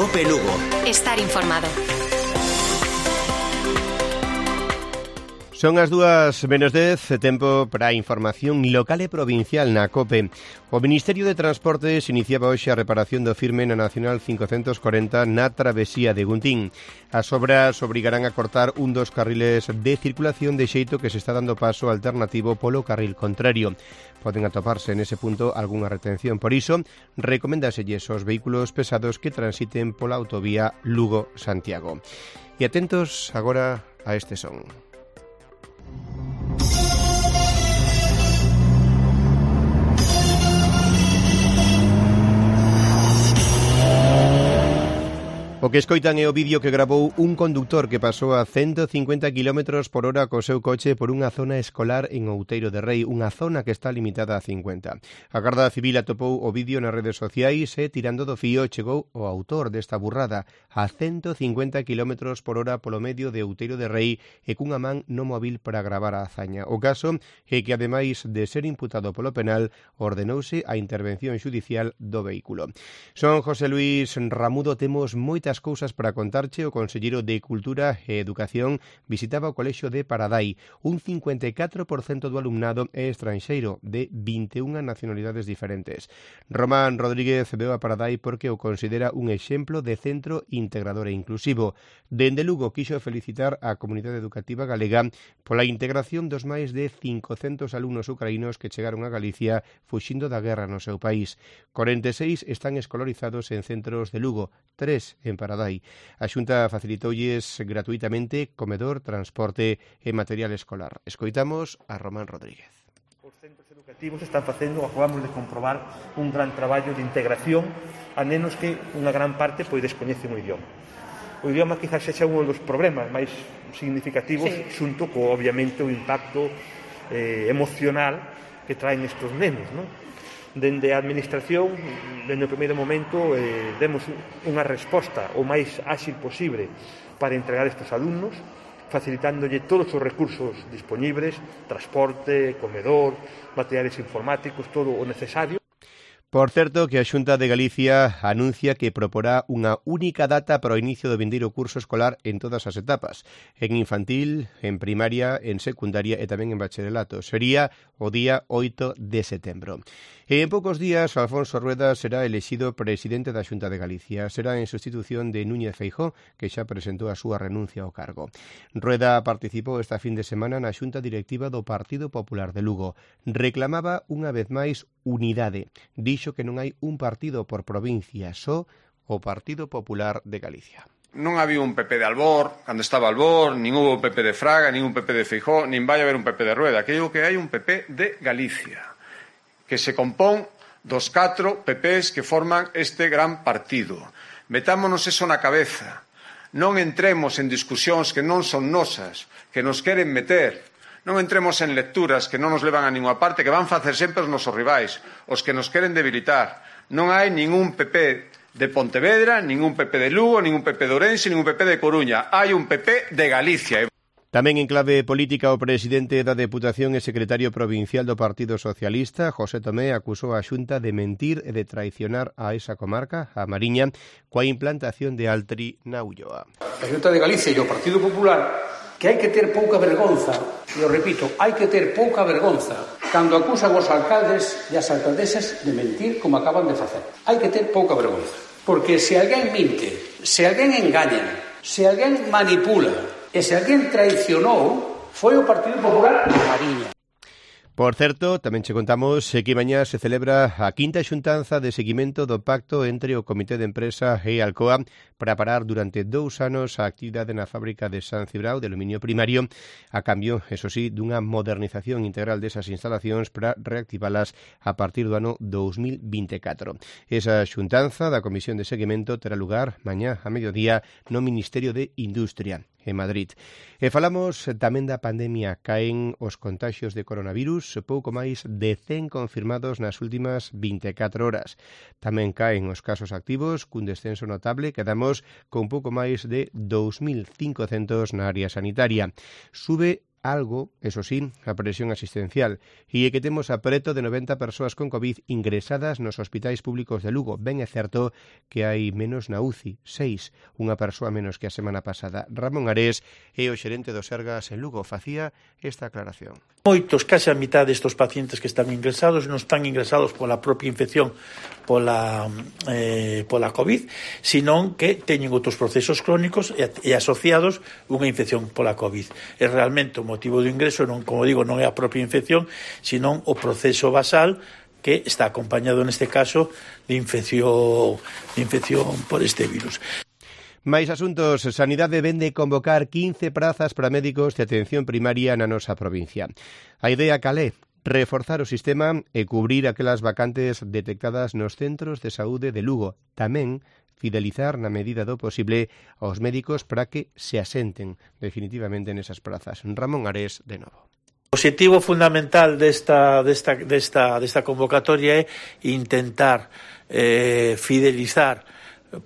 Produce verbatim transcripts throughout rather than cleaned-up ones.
COPE Lugo. Estar informado. Son as dúas menos dez, tempo para a información local e provincial na COPE. O Ministerio de Transportes iniciaba hoxe a reparación do firme na Nacional cincocentos corenta na travesía de Guntín. As obras obrigarán a cortar un dos carriles de circulación de xeito que se está dando paso alternativo polo carril contrario. Poden atoparse nese punto algunha retención. Por iso, recomendaselles aos vehículos pesados que transiten pola autovía Lugo-Santiago. E atentos agora a este son. O que escoitan é o vídeo que gravou un conductor que pasou a ciento cincuenta kilómetros por hora co seu coche por unha zona escolar en Outeiro de Rei, unha zona que está limitada a cincuenta. A Garda Civil atopou o vídeo nas redes sociais e, tirando do fío, chegou o autor desta burrada a ciento cincuenta kilómetros por hora polo medio de Outeiro de Rei e cunha man no móvil para gravar a hazaña. O caso é que, ademais de ser imputado polo penal, ordenouse a intervención xudicial do vehículo. Son José Luis Ramudo, temos moitas cousas para contarche. O conselleiro de Cultura e Educación visitaba o colexio de Paradai. Un cincuenta e catro por cento do alumnado é estranxeiro, de vinte e unha nacionalidades diferentes. Román Rodríguez veu a Paradai porque o considera un exemplo de centro integrador e inclusivo. Dende Lugo quixo felicitar a comunidade educativa galega pola integración dos máis de cincocentos alumnos ucraínos que chegaron a Galicia fuxindo da guerra no seu país. corenta e seis están escolarizados en centros de Lugo, tres en Paradai. A Xunta facilitoulles gratuitamente comedor, transporte e material escolar. Escoitamos a Román Rodríguez. Os centros educativos están facendo, acabamos de comprobar, un gran traballo de integración a nenos que unha gran parte pois descoñecen o idioma. O idioma quizás sexa un dos problemas máis significativos, sí, xunto co, obviamente, o impacto eh, emocional que traen estes nenos, non? Dende a Administración, dende o primeiro momento, eh, demos unha resposta o máis áxil posible para entregar estes alumnos, facilitándolle todos os recursos dispoñibles, transporte, comedor, materiales informáticos, todo o necesario. Por certo, que a Xunta de Galicia anuncia que proporá unha única data para o inicio do vindeiro curso escolar en todas as etapas, en infantil, en primaria, en secundaria e tamén en bacharelato. Sería o día oito de setembro. E en poucos días, Alfonso Rueda será elexido presidente da Xunta de Galicia. Será en sustitución de Núñez Feijóo, que xa presentou a súa renuncia ao cargo. Rueda participou esta fin de semana na Xunta Directiva do Partido Popular de Lugo. Reclamaba unha vez máis unidade. Dixo que non hai un partido por provincia, só o Partido Popular de Galicia. Non había un P P de Albor, cando estaba Albor, nin hubo un P P de Fraga, nin un P P de Feijóo, nin vai haber un P P de Rueda. Que digo que hai un P P de Galicia, que se compón dos catro P Ps que forman este gran partido. Metámonos eso na cabeza. Non entremos en discusións que non son nosas, que nos queren meter. Non entremos en lecturas que non nos levan a ninguna parte, que van facer sempre os nosos rivais, os que nos queren debilitar. Non hai ningún P P de Pontevedra, ningún P P de Lugo, ningún P P de Ourense, ningún P P de Coruña. Hai un P P de Galicia. Tamén en clave política, o presidente da Deputación e secretario provincial do Partido Socialista, José Tomé, acusou a Xunta de mentir e de traicionar a esa comarca, a Mariña, coa implantación de Altri na Ulloa. A Xunta de Galicia e o Partido Popular, que hai que ter pouca vergonza, e o repito, hai que ter pouca vergonza cando acusan os alcaldes e as alcaldesas de mentir como acaban de facer. Hai que ter pouca vergonza, porque se alguén minte, se alguén engaña, se alguén manipula e se alguén traicionou, foi o Partido Popular de Mariña. Por certo, tamén che contamos que mañá se celebra a quinta xuntanza de seguimento do pacto entre o Comité de Empresa e Alcoa para parar durante dous anos a actividade na fábrica de San Cibrao de aluminio primario, a cambio, eso sí, dunha modernización integral desas instalacións para reactivalas a partir do ano dous mil vinte e catro. Esa xuntanza da Comisión de Seguimento terá lugar mañá a mediodía no Ministerio de Industria, en Madrid. E falamos tamén da pandemia. Caen os contaxios de coronavirus, pouco máis de cen confirmados nas últimas vinte e catro horas. Tamén caen os casos activos, cun descenso notable, quedamos con pouco máis de dous mil cincocentos na área sanitaria. Sube algo, eso sí, a presión asistencial e que temos a preto de noventa persoas con COVID ingresadas nos hospitais públicos de Lugo. Ben é certo que hai menos na U C I, seis, unha persoa menos que a semana pasada. Ramón Ares é o xerente do Sergas en Lugo, facía esta aclaración. Moitos, case a mitad destes pacientes que están ingresados non están ingresados pola propia infección pola, eh, pola COVID, senón que teñen outros procesos crónicos e, e asociados unha infección pola COVID. E realmente o motivo do ingreso, non, como digo, non é a propia infección, senón o proceso basal que está acompañado neste caso de infección, de infección por este virus. Máis asuntos, Sanidade vende convocar quince prazas para médicos de atención primaria na nosa provincia. A idea cal é? Reforzar o sistema e cubrir aquelas vacantes detectadas nos centros de saúde de Lugo. Tamén fidelizar na medida do posible aos médicos para que se asenten definitivamente nesas prazas. Ramón Ares, de novo. O objetivo fundamental desta, desta, desta, desta convocatoria é intentar eh, fidelizar,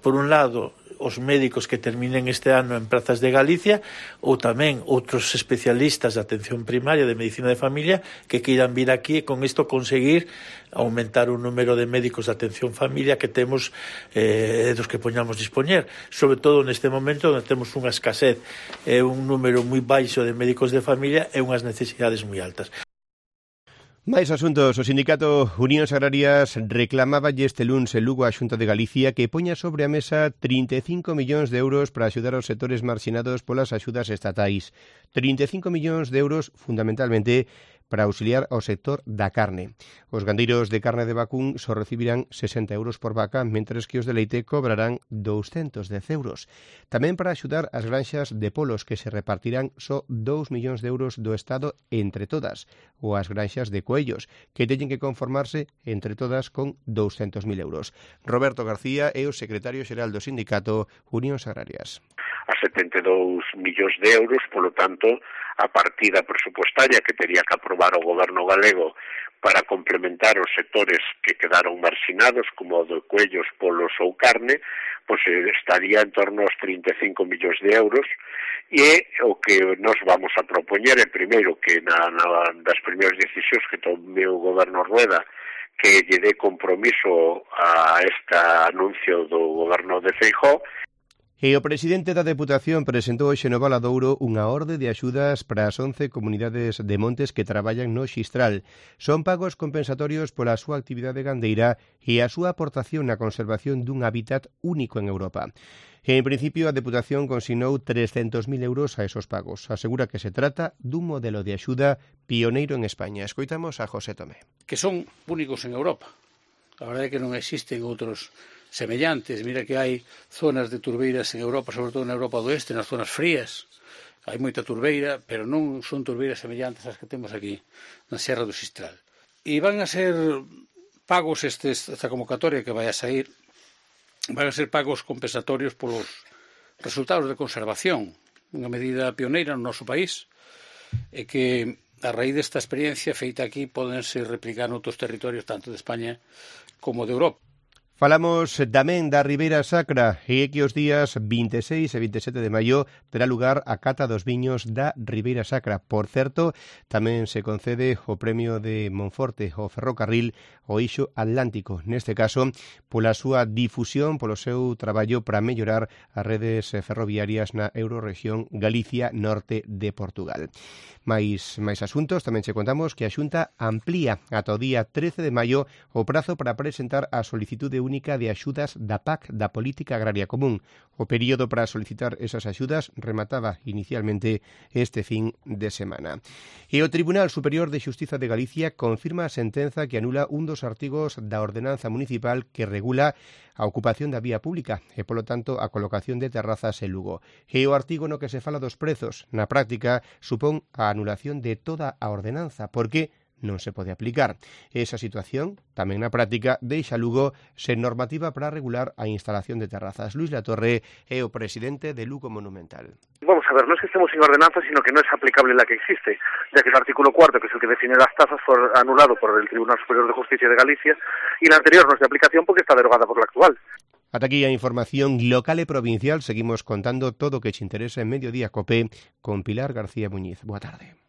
por un lado, os médicos que terminen este ano en prazas de Galicia ou tamén outros especialistas de atención primaria de medicina de familia que queiran vir aquí e con isto conseguir aumentar o número de médicos de atención familia que temos eh, dos que poñamos dispoñer, sobre todo neste momento onde temos unha escasez e eh, un número moi baixo de médicos de familia e unhas necesidades moi altas. Máis asuntos. O sindicato Unións Agrarias reclamaba este luns en Lugo a Xunta de Galicia que poña sobre a mesa trinta e cinco millóns de euros para axudar aos sectores marxinados polas axudas estatais. trinta e cinco millóns de euros fundamentalmente para auxiliar ao sector da carne. Os gandeiros de carne de vacún só recibirán sesenta euros por vaca, mentres que os de leite cobrarán douscentos dez euros. Tamén para axudar as granxas de polos, que se repartirán só dous millóns de euros do Estado entre todas, ou as granxas de coellos, que teñen que conformarse entre todas con douscentos mil euros. Roberto García é o secretario xeral do sindicato Unións Agrarias. A setenta e dous millóns de euros, polo tanto, a partida presupuestaria que tería que aprobar o goberno galego para complementar os sectores que quedaron marxinados, como o de coellos, polos ou carne, pois estaría en torno aos trinta e cinco millóns de euros, e o que nos vamos a propoñer é primeiro que na, na das primeiras decisións que tome o goberno Rueda que lle dé compromiso a este anuncio do goberno de Feijóo. E o presidente da Deputación presentou hoxe no Valadouro unha orde de axudas para as once comunidades de montes que traballan no Xistral. Son pagos compensatorios pola súa actividade gandeira e a súa aportación na conservación dun hábitat único en Europa. E, en principio, a Deputación consignou trescentos mil euros a esos pagos. Asegura que se trata dun modelo de axuda pioneiro en España. Escoitamos a José Tomé. Que son únicos en Europa. A verdade é que non existen outros semellantes. Mira que hai zonas de turbeiras en Europa, sobre todo na Europa do Oeste, nas zonas frías. Hai moita turbeira, pero non son turbeiras semellantes ás que temos aquí na Serra do Xistral. E van a ser pagos estes, esta convocatoria que vai a sair, van a ser pagos compensatorios polos resultados de conservación, unha medida pioneira no noso país, e que a raíz desta experiencia feita aquí podense replicar noutros territorios tanto de España como de Europa. Falamos tamén da Ribeira Sacra e que os días vinte e seis e vinte e sete de maio terá lugar a cata dos viños da Ribeira Sacra. Por certo, tamén se concede o premio de Monforte ao ferrocarril o Eixo Atlántico, neste caso pola súa difusión, polo seu traballo para mellorar as redes ferroviarias na Eurorregión Galicia Norte de Portugal. Mais, máis asuntos, tamén che contamos que a Xunta amplía ata o día trece de maio o prazo para presentar a solicitude única de axudas da P A C, da Política Agraria Común. O período para solicitar esas axudas remataba inicialmente este fin de semana. E o Tribunal Superior de Xustiza de Galicia confirma a sentenza que anula un dos artigos da ordenanza municipal que regula a ocupación da vía pública e, polo tanto, a colocación de terrazas en Lugo. E o artigo no que se fala dos prezos, na práctica, supón a anulación de toda a ordenanza, porque non se pode aplicar. Esa situación, tamén na práctica, deixa Lugo sen normativa para regular a instalación de terrazas. Luis Latorre é o presidente de Lugo Monumental. Vamos a ver, no es que estemos sin ordenanza, sino que no es aplicable la que existe, ya que el artículo cuarto, que es el que define las tasas, fue anulado por el Tribunal Superior de Justicia de Galicia, y la anterior no es de aplicación porque está derogada por la actual. Ata aquí a información local e provincial. Seguimos contando todo o que te interesa en Mediodía Copé con Pilar García Muñiz. Boa tarde.